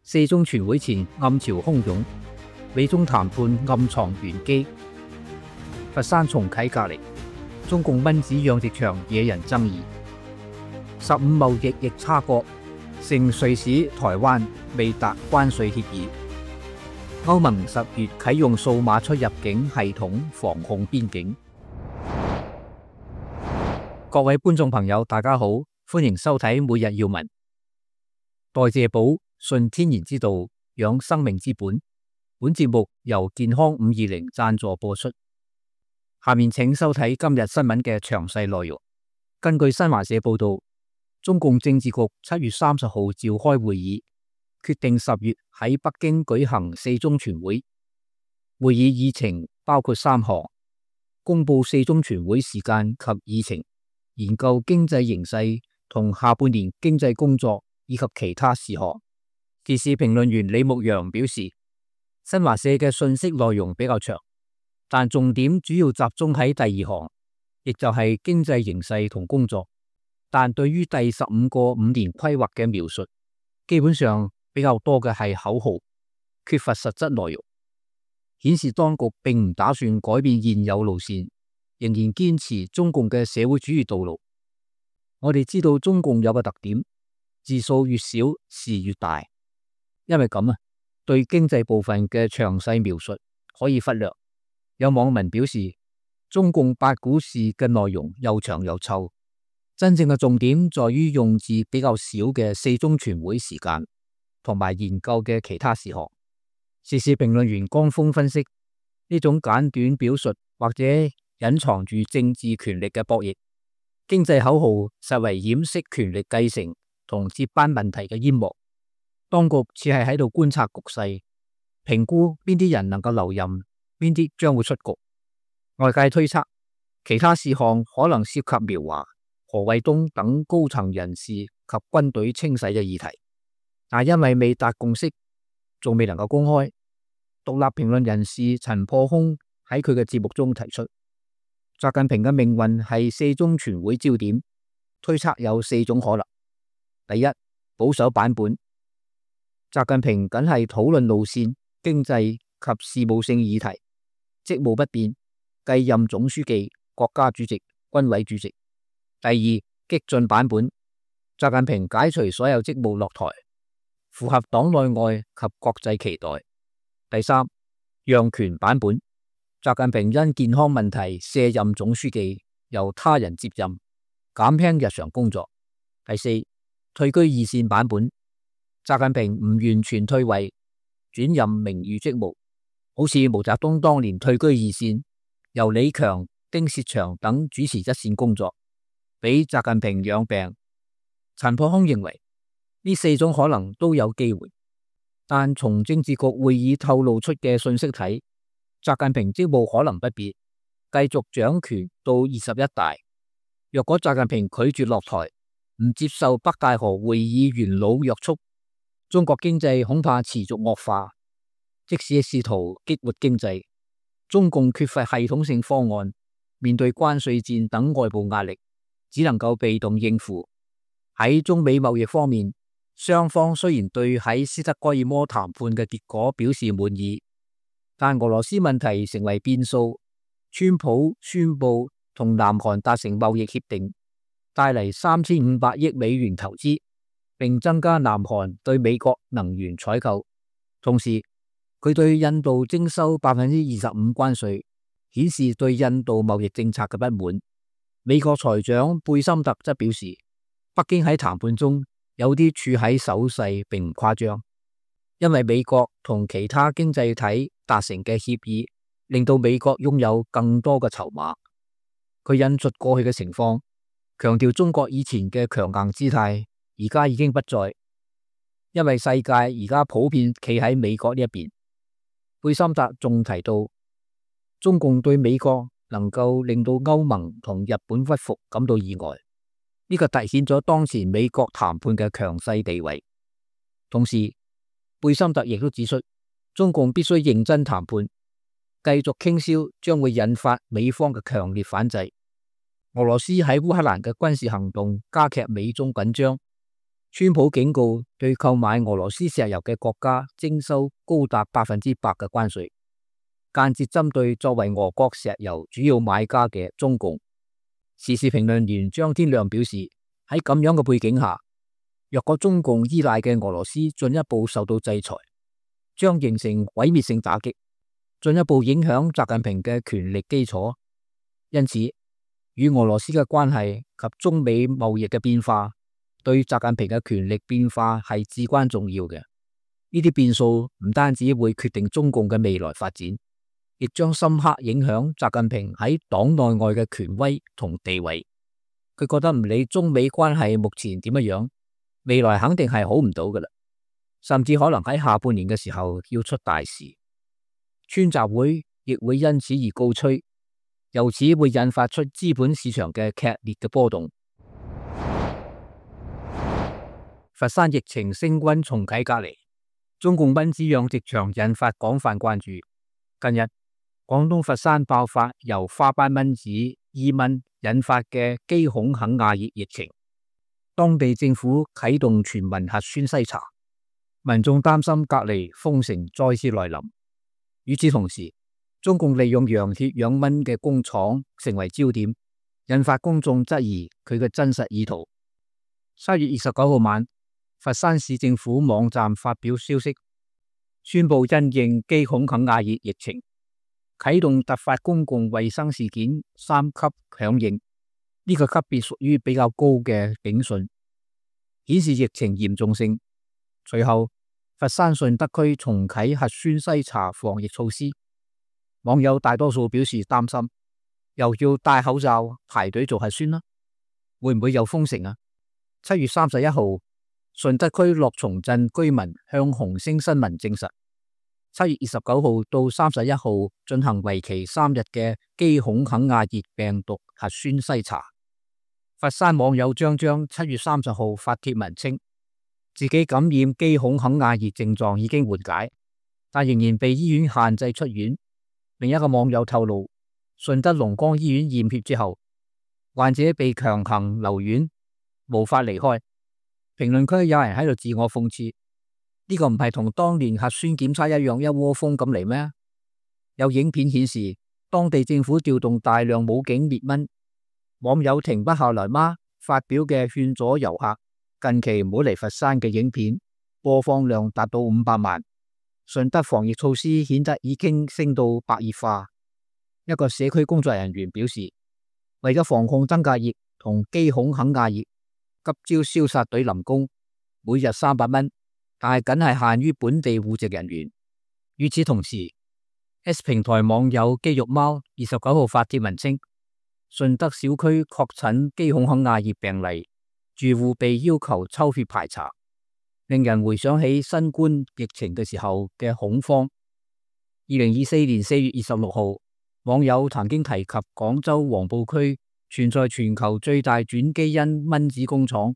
四中全會前暗潮洶湧，美中談判暗藏玄機。佛山重啟隔離，中共蚊子養殖場惹人爭議。15貿易逆差國，成瑞士、台灣未達關稅協議。歐盟10月啟用數碼出入境系統防控邊境。各位觀眾朋友，大家好，歡迎收睇每日要聞。代謝寶，順天然之道，養生命之本。本節目由健康520贊助播出。下面請收睇今日新聞嘅詳細內容。根據新華社報道，中共政治局7月30號召開會議，決定10月喺北京舉行四中全會。會議議程包括3項：公布四中全會時間及議程，研究經濟形勢同下半年經濟工作以及其他事項。時事評論員李牧陽表示，新華社嘅信息內容比較長，但重點主要集中喺第2項，亦就係經濟形勢同工作。但對於第15個5年規劃嘅描述，基本上比較多嘅係口號，缺乏實質內容，顯示當局並唔打算改變現有路線，仍然堅持中共嘅社會主義道路。我哋知道中共有個特點，字數越少事越大，因為咁對經濟部分嘅詳細描述可以忽略。有網民表示，中共8股事嘅內容又長又臭，真正嘅重點在於用字比較少嘅四中全會時間同埋研究嘅其他事項。時事評論員江峰分析，呢種簡短表述或者隱藏住政治權力嘅博弈，經濟口號實為掩飾權力繼承同接班問題嘅煙幕。當局似係喺度觀察局勢，評估邊啲人能夠留任，邊啲將會出局。外界推測，其他事項可能涉及苗華、何衛東等高層人士及軍隊清洗嘅議題，但因為未達共識，仲未能夠公開。獨立評論人士陳破空喺佢嘅節目中提出，習近平嘅命運係四中全會焦點，推測有4種可能。第一，保守版本，習近平僅係討論路線、經濟及事務性議題，職務不變，繼任總書記、國家主席、軍委主席。第二，激進版本，習近平解除所有職務落台，符合黨內外及國際期待。第三，讓權版本，習近平因健康問題卸任總書記，由他人接任，減輕日常工作。第四，退居二線版本，習近平唔完全退位，轉任名譽職務，好似毛澤東當年退居二線，由李強、丁薛祥等主持一線工作，俾習近平養病。陳破空認為呢4種可能都有機會，但從政治局會議透露出嘅信息睇，習近平職務可能不變，繼續掌權到21大。若果習近平拒絕落台，唔接受北戴河會議元老約束，中國經濟恐怕持續惡化。即使試圖激活經濟，中共缺乏系統性方案，面對關稅戰等外部壓力，只能夠被動應付。喺中美貿易方面，雙方雖然對喺斯德哥爾摩談判嘅結果表示滿意，但俄羅斯問題成為變數。川普宣布同南韓達成貿易協定，帶嚟3500億美元投資，並增加南韓對美國能源採購。同時，佢對印度徵收25%關稅，顯示對印度貿易政策嘅不滿。美國財長貝森特則表示，北京喺談判中有啲處喺守勢並唔誇張，因為美國同其他經濟體達成嘅協議，令到美國擁有更多嘅籌碼。佢引述過去嘅情況，強調中國以前嘅強硬姿態而家已經不再，因為世界而家普遍企喺美國呢一邊。貝森特仲提到，中共對美國能夠令到歐盟同日本屈服感到意外，呢個凸顯咗當前美國談判嘅強勢地位。同時，貝森特亦都指出，中共必須認真談判，繼續傾銷將會引發美方嘅強烈反制。俄羅斯喺烏克蘭嘅軍事行動加劇美中緊張，川普警告對購買俄羅斯石油嘅國家徵收高達100%嘅關稅，間接針對作為俄國石油主要買家嘅中共。時事評論員張天亮表示，喺咁樣嘅背景下，若果中共依賴嘅俄羅斯進一步受到制裁，將形成毀滅性打擊，進一步影響習近平嘅權力基礎。因此，與俄羅斯嘅關係及中美貿易嘅變化，對習近平嘅權力變化係至關重要嘅。呢啲變數唔單止會決定中共嘅未來發展，亦將深刻影響習近平喺黨內外嘅權威同地位。佢覺得唔理中美關係目前點樣，未來肯定係好唔到噶啦，甚至可能喺下半年嘅時候要出大事。川習會亦會因此而告吹，由此會引發出資本市場嘅劇烈嘅波動。佛山疫情升溫重啟隔離，中共蚊子養殖場引發廣泛關注。近日，廣東佛山爆發由花斑蚊子、伊蚊引發嘅基孔肯亞熱疫情，當地政府啟動全民核酸篩查，民眾擔心隔離封城再次來臨。與此同時，中共利用羊血養蚊嘅工廠成為焦點，引發公眾質疑佢嘅真實意圖。7月29號晚，佛山市政府網站發表消息，宣布因應基孔肯亞熱疫情，啟動突發公共衛生事件3級響應。呢個級別屬於比較高嘅警訊，顯示疫情嚴重性。隨後，佛山順德區重啟核酸篩查防疫措施，網友大多數表示擔心，又要戴口罩排隊做核酸啦，會唔會又封城啊？7月31號，順德區樂從鎮居民向紅星新聞證實，7月29號到31號進行為期3日嘅基孔肯亞熱病毒核酸篩查。佛山網友張7月30號發帖文稱，自己感染基孔肯亞熱症狀已經緩解，但仍然被醫院限制出院。另一個網友透露，順德龍崗醫院驗血之後，患者被強行留院，無法離開。評論區有人喺度自我諷刺，呢個唔係同當年核酸檢測一樣一窩蜂咁嚟咩？有影片顯示，當地政府調動大量武警滅蚊。網友停不下來嗎發表嘅勸阻遊客近期唔好嚟佛山嘅影片，播放量達到500萬。順德防疫措施顯得已經升到白熱化。一個社區工作人員表示，為咗防控登革熱同基孔肯亞熱，急招消殺隊臨工，每日300蚊，但係僅係限於本地戶籍人員。與此同時， S 平台網友肌肉貓29號發帖文稱，順德小區確診基孔肯亞熱病例，住戶被要求抽血排查，令人回想起新冠疫情嘅時候嘅恐慌。2024年4月26號，網友曾經提及廣州黃埔區存在全球最大轉基因蚊子工廠。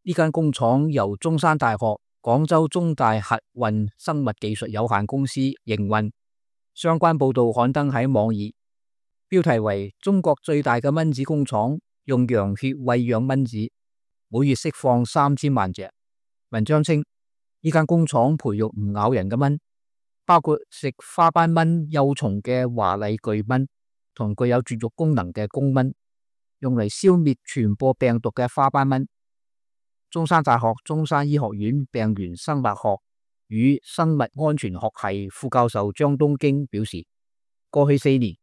呢間工廠由中山大學、廣州中大核運生物技術有限公司營運。相關報道刊登喺網頁，標題為中國最大嘅蚊子工廠用羊血餵養蚊子，每月釋放3000萬隻。文章稱，呢間工廠培育唔咬人嘅蚊，包括食花斑蚊幼蟲嘅華麗巨蚊同具有絕育功能嘅公蚊，用嚟消滅傳播病毒嘅花斑蚊。中山大學中山醫學院病原生物學與生物安全學系副教授張東京表示，過去4年，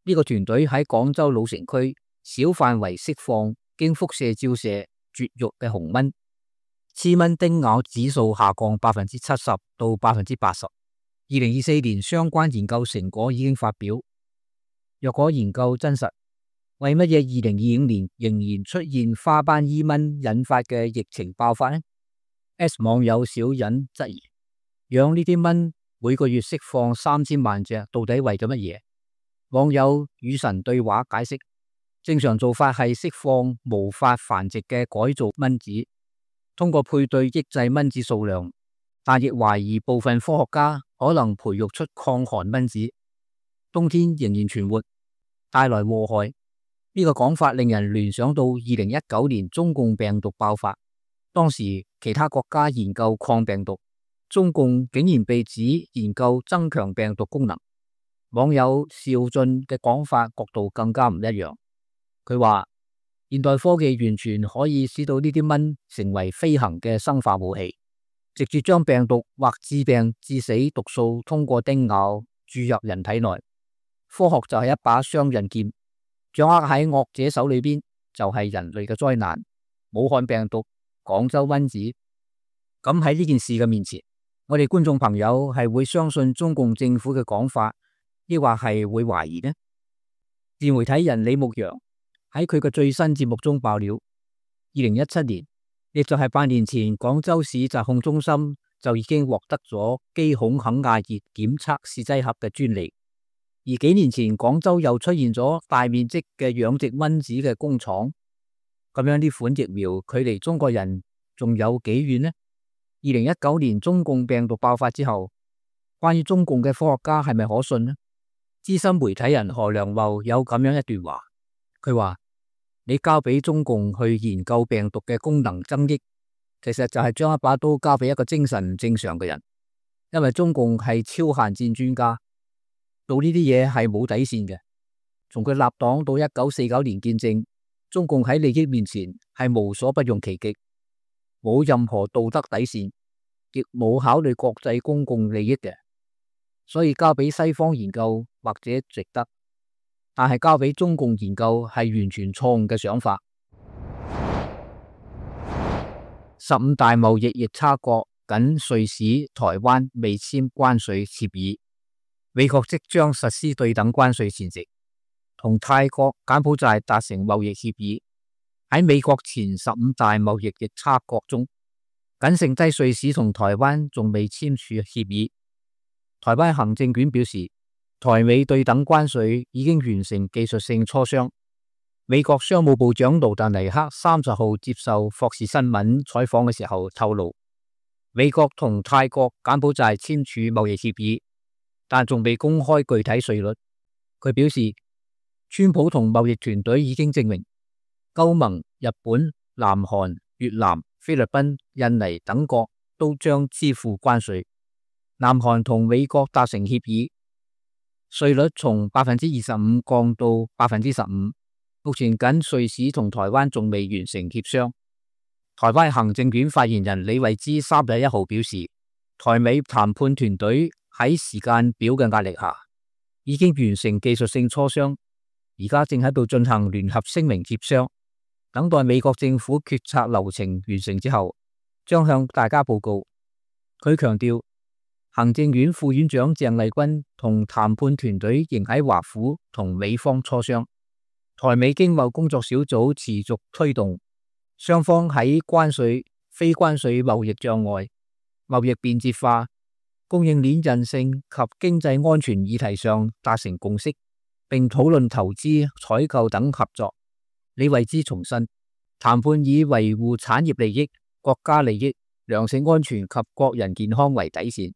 呢個團隊喺廣州老城區小範圍釋放經輻射照射絕育嘅紅蚊，雌蚊叮咬指數下降70%到80%。2024年相關研究成果已經發表。若果研究真實，為乜嘢2025年仍然出現花斑伊蚊引發嘅疫情爆發呢？ S 網友小隱質疑，養呢啲蚊每個月釋放3000萬隻，到底為咗乜嘢？網友與神對話解釋，正常做法係釋放無法繁殖嘅改造蚊子，通過配對抑制蚊子數量，但亦懷疑部分科學家可能培育出抗寒蚊子，冬天仍然存活，帶來禍害。呢個講法令人聯想到2019年中共病毒爆發，當時其他國家研究抗病毒，中共竟然被指研究增強病毒功能。網友邵俊嘅講法角度更加唔一樣，佢話現代科技完全可以使到呢啲蚊成為飛行嘅生化武器，直接將病毒或致病致死毒素通過叮咬注入人體內。科學就係一把雙刃劍，掌握喺惡者手裏邊就係人類嘅災難。武漢病毒、廣州蚊子，咁喺呢件事嘅面前，我哋觀眾朋友係會相信中共政府嘅講法，抑或係會懷疑呢？自媒體人李牧陽喺佢嘅最新節目中爆料，2017年，亦就係8年前，廣州市疾控中心就已經獲得咗基孔肯亞熱檢測試劑盒嘅專利。而幾年前，廣州又出現咗大面積嘅養殖蚊子嘅工廠。咁樣呢款疫苗距離中國人仲有幾遠呢？2019年中共病毒爆發之後，關於中共嘅科學家係咪可信呢？資深媒體人何良茂有咁樣一段話，佢話：你交俾中共去研究病毒嘅功能增益，其實就係將一把刀交俾一個精神唔正常嘅人，因為中共係超限戰專家，做呢啲嘢係冇底線嘅。從佢立黨到1949年建政，中共喺利益面前係無所不用其極，冇任何道德底線，亦冇考慮國際公共利益嘅。所以交俾西方研究或者值得，但係交俾中共研究係完全錯誤嘅想法。15大貿易逆差國僅瑞士、台灣未簽關稅協議，美國即將實施對等關稅前夕，同泰國、柬埔寨達成貿易協議。喺美國前15大貿易逆差國中，僅剩低瑞士同台灣仲未簽署協議。台灣行政院表示，台美對等關稅已經完成技術性磋商。美國商務部長盧達尼克30號接受霍士新聞採訪嘅時候透露，美國同泰國、柬埔寨簽署貿易協議，但仲未公開具體稅率。佢表示，川普同貿易團隊已經證明，歐盟、日本、南韓、越南、菲律賓、印尼等國都將支付關稅。南韓同美國達成協議，稅率從25%降到15%。目前僅瑞士同台灣仲未完成協商。台灣行政院發言人李慧芝31號表示，台美談判團隊喺時間表嘅壓力下，已經完成技術性磋商，而家正喺度進行聯合聲明協商，等待美國政府決策流程完成之後，將向大家報告。佢強調，行政院副院長鄭麗君同談判團隊仍喺華府同美方磋商。台美經貿工作小組持續推動，雙方喺關稅、非關稅貿易障礙、貿易便捷化、供應鏈韌性及經濟安全議題上達成共識，並討論投資、採購等合作。李慧芝重申，談判以維護產業利益、國家利益、糧食安全及國人健康為底線，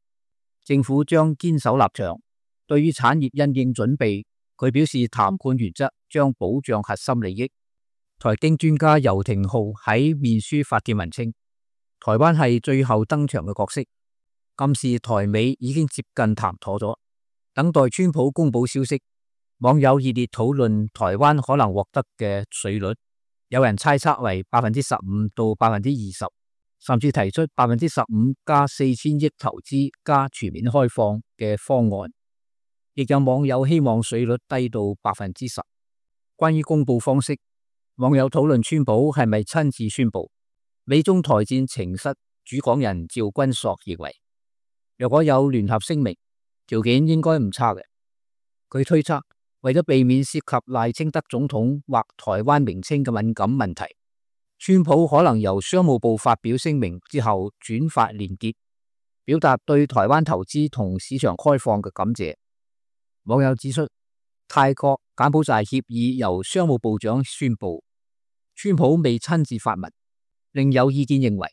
政府將堅守立場。對於產業因應準備，佢表示談判原則將保障核心利益。台經專家游廷浩喺面書發帖文稱，台灣係最後登場嘅角色，暗示台美已經接近談妥咗，等待川普公布消息。網友熱烈討論台灣可能獲得嘅稅率，有人猜測為15%到20%，甚至提出15%加4000億投資加全面開放嘅方案。亦有網友希望稅率低到10%。關於公布方式，網友討論川普係咪親自宣布。美中台戰情室主講人趙君朔認為，若果有聯合聲明，條件應該唔差嘅。佢推測，為咗避免涉及賴清德總統或台灣名稱嘅敏感問題，川普可能由商務部發表聲明之後轉發連結，表達對台灣投資同市場開放嘅感謝。網友指出，泰國、柬埔寨協議由商務部長宣布，川普未親自發文。另有意見認為，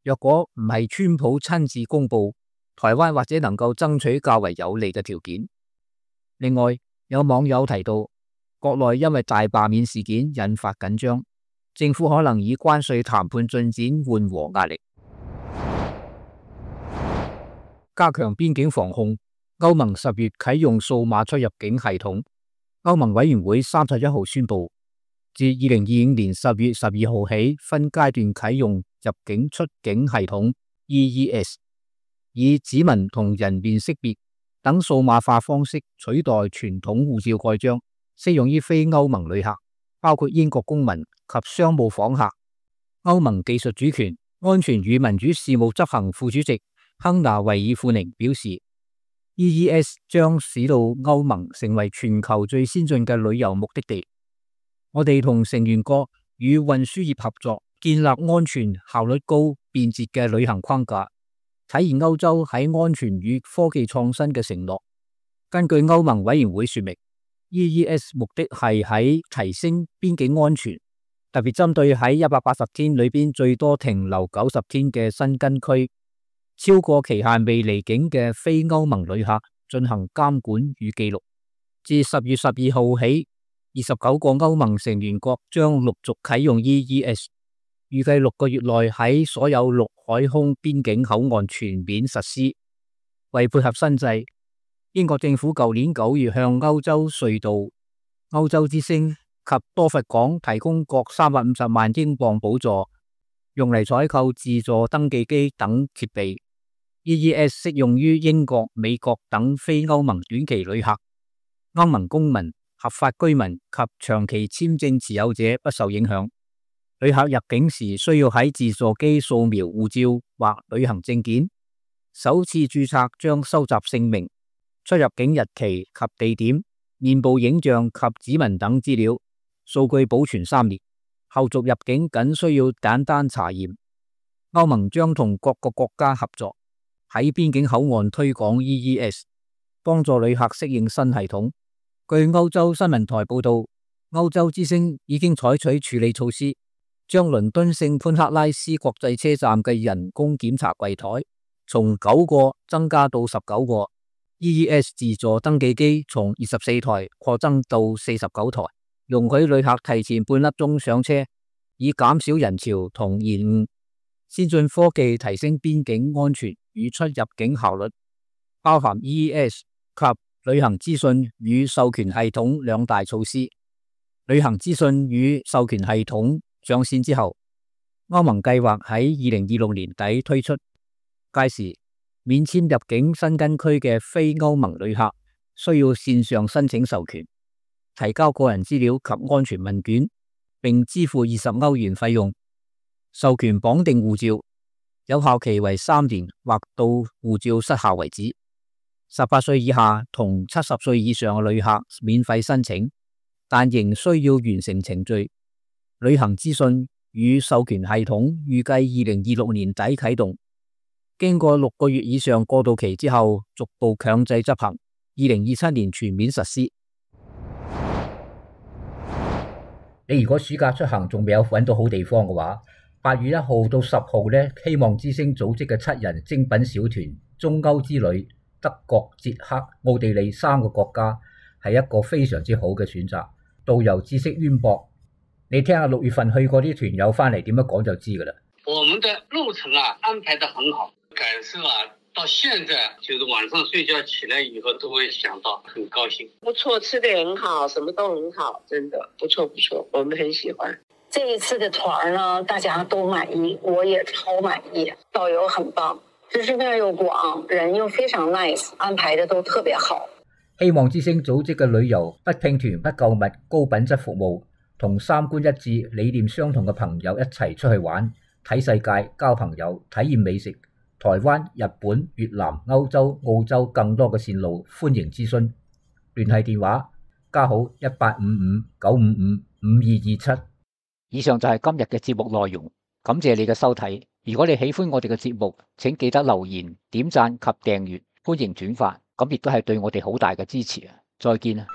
若果唔係川普親自公布，台灣或者能夠爭取較為有利嘅條件。另外，有網友提到，國內因為大罷免事件引發緊張，政府可能以關稅談判進展緩和壓力。加強邊境防控，歐盟10月啟用數碼出入境系統。歐盟委員會31號宣布，自2025年10月12號起，分階段啟用入境出境系統 EES， 以指紋同人面識別等數碼化方式取代傳統護照蓋章，適用於非歐盟旅客，包括英國公民及商務訪客。歐盟技術主權、安全與民主事務執行副主席亨娜維爾庫寧表示， EES 將使到歐盟成為全球最先進嘅旅遊目的地。我哋同成員國與運輸業合作，建立安全、效率高、便捷嘅旅行框架，體現歐洲喺安全與科技創新嘅承諾。根據歐盟委員會說明， EES 目的係喺提升邊境安全，特別針對喺180天裏邊最多停留90天嘅申根區，超過期限未離境嘅非歐盟旅客進行監管與記錄。自10月12號起，29個歐盟成員國將陸續啟用 EES， 預計6個月內喺所有陸海空邊境口岸全面實施。為配合新制，英國政府舊年9月向歐洲隧道、歐洲之星及多佛港提供各350萬英鎊補助，用嚟採購自助登記機等設備。EES 適用於英國、美國等非歐盟短期旅客，歐盟公民、合法居民及長期簽證持有者不受影響。旅客入境時需要喺自助機掃描護照或旅行證件，首次註冊將收集姓名、出入境日期及地點、面部影像及指紋等資料，數據保存3年。後續入境僅需要簡單查驗。歐盟將同各個國家合作，喺邊境口岸推廣 EES， 幫助旅客適應新系統。據歐洲新聞台報道，歐洲之星已經採取處理措施，將倫敦聖潘克拉斯國際車站嘅人工檢查櫃台從9個增加到19個， EES 自助登記機從24台擴增到49台，容許旅客提前半粒鐘上車，以減少人潮同延誤。先進科技提升邊境安全與出入境效率，包含 EES 及旅行資訊與授權系統兩大措施。旅行資訊與授權系統上線之後，歐盟計劃喺2026年底推出，屆時免簽入境申根區嘅非歐盟旅客需要線上申請授權，提交個人資料及安全問卷，並支付20歐元費用。授權綁定護照，有效期為3年或到護照失效為止。18歲以下同70歲以上嘅旅客免費申請，但仍需要完成程序。旅行資訊與授權系統預計2026年底啟動，經過6個月以上過渡期之後，逐步強制執行，2027年全面實施。你如果暑假出行仲未有揾到好地方嘅話，8月1號到10號呢，希望之星組織嘅7人精品小團中歐之旅，德國、捷克、奧地利3個國家係一個非常之好嘅選擇。導遊知識淵博，你聽下6月份去過啲團友翻嚟點樣講就知噶啦。我們的路程安排得很好，感受到現在就是晚上睡覺起來以後都會想到，很高興。不錯，吃得很好，什麼都很好，真的不錯不錯，我們很喜歡。這一次的團呢，大家都滿意，我也超滿意。導遊很棒，知識面又廣，人又非常 nice， 安排得都特別好。希望之星組織嘅旅遊不拼團不購物，高品質服務，同三觀一致、理念相同嘅朋友一齊出去玩，睇世界、交朋友、體驗美食。台灣、日本、越南、歐洲、澳洲更多嘅線路，歡迎諮詢。聯繫電話加號1855-955-5227。以上就係今日嘅節目內容，感謝你嘅收睇。如果你喜歡我哋嘅節目，請記得留言、點讚及訂閱，歡迎轉發，咁亦都係對我哋好大嘅支持啊！再見啊！